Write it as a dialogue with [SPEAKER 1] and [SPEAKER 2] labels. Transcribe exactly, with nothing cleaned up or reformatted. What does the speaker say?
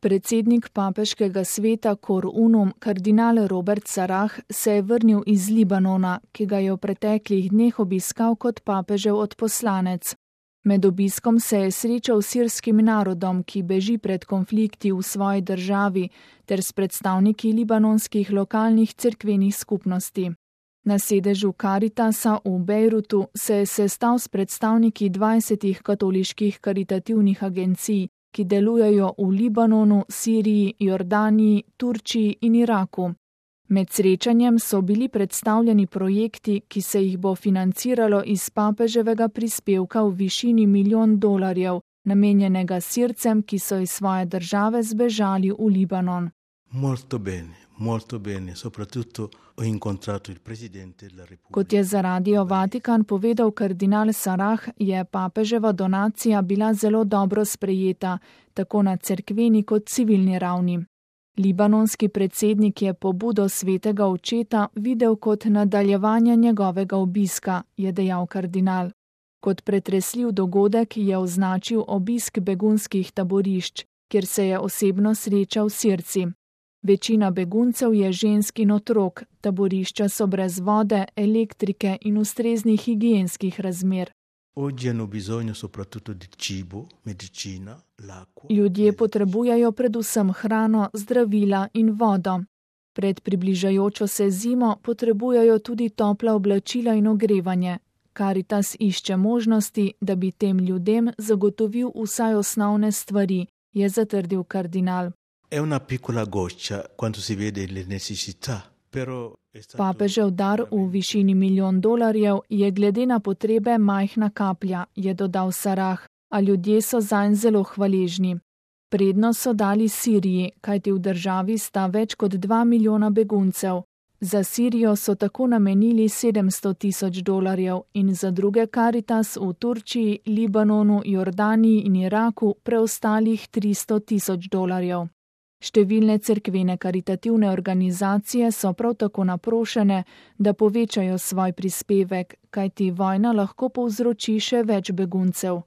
[SPEAKER 1] Predsednik papeškega sveta Cor Unum, kardinal Robert Sarah, se je vrnil iz Libanona, ki ga je v preteklih dneh obiskal kot papežev odposlanec. Med obiskom se je srečal s sirskim narodom, ki beži pred konflikti v svoji državi, ter s predstavniki libanonskih lokalnih cerkvenih skupnosti. Na sedežu Karitasa v Bejrutu se je sestal s predstavniki dvajsetih katoliških karitativnih agencij, ki delujejo v Libanonu, Siriji, Jordaniji, Turčiji in Iraku. Med srečanjem so bili predstavljeni projekti, ki se jih bo financiralo iz papeževega prispevka v višini milijon dolarjev, namenjenega Sircem, ki so iz svoje države zbežali v Libanon.
[SPEAKER 2] Molto bene, molto bene, soprattutto ho incontrato il presidente della Repubblica.
[SPEAKER 1] Kot je za Radio Vatikan povedal kardinal Sarah, je papeževa donacija bila zelo dobro sprejeta, tako na cerkveni kot civilni ravni. Libanonski predsednik je pobudo svetega očeta videl kot nadaljevanje njegovega obiska, je dejal kardinal. Kot pretresljiv dogodek je označil obisk begunskih taborišč, kjer se je osebno srečal s Sirci. Večina beguncev je žensk in otrok, taborišča so brez vode, elektrike in ustreznih higienskih razmer. Ljudje potrebujejo predvsem hrano, zdravila in vodo. Pred približajočo se zimo potrebujejo tudi topla oblačila in ogrevanje. Karitas išče možnosti, da bi tem ljudem zagotovil vsaj osnovne stvari, je zatrdil kardinal.
[SPEAKER 2] È una piccola goccia quando si vede le necessità, però
[SPEAKER 1] Papežev dar v višini milijon dolarjev je glede na potrebe majhna kaplja, je dodal Sarah, a ljudje so zanj zelo hvaležni. Prednost so dali Siriji, kajti v državi sta več kot dva milijona beguncev. Za Sirijo so tako namenili sedemsto tisoč dolarjev in za druge Karitas v Turčiji, Libanonu, Jordaniji in Iraku preostalih tristo tisoč dolarjev. Številne cerkvene karitativne organizacije so prav tako naprošene, da povečajo svoj prispevek, kajti vojna lahko povzroči še več beguncev.